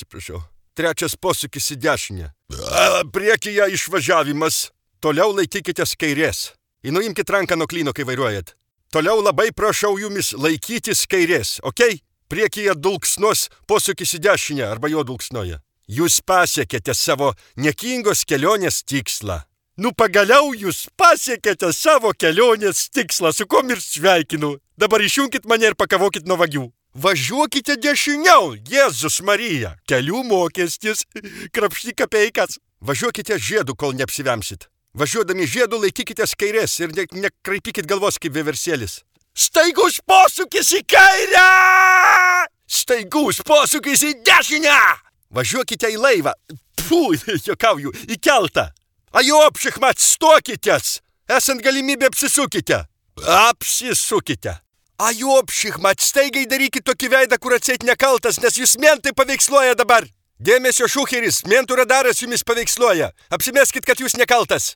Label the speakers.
Speaker 1: Atsiprašau. Trečias posūkis į dešinę. Priekyje išvažiavimas. Toliau laikykitės kairės. Nuimkit ranką nuo klyno, kai vairuojat. Toliau labai prašau jumis laikytis kairės, okei? Priekyje dulksnos posūkis į dešinę arba jo dulksnoja. Jūs pasiekėte savo niekingos kelionės tikslą. Pagaliau jūs pasiekėte savo kelionės tikslą, su kom ir sveikinu. Dabar išjunkit mane ir pakavokit nuo vagių. Važiuokite dešiniau, Jėzus Marija. Kelių mokestis, krapšty kapeikas. Važiuokite žiedu, kol neapsivemsit. Važiuodami žiedu laikykitės kairės ir nekraipykit galvos kaip vieversėlis. Staigus posūkis į kairę! Staigus posūkis į dešinę! Važiuokite į laivą. Juokauju, į keltą. Ajopšikmat, stokitės! Esant galimybė apsisukite. Apsisukite. Ajopšikmat, staigiai darykit tokį veidą, kur atseit nekaltas, nes jūs mentai paveiksluoja dabar. Dėmesio šucheris, mentų radaras jumis paveiksluoja. Apsimeskit, kad jūs nekaltas.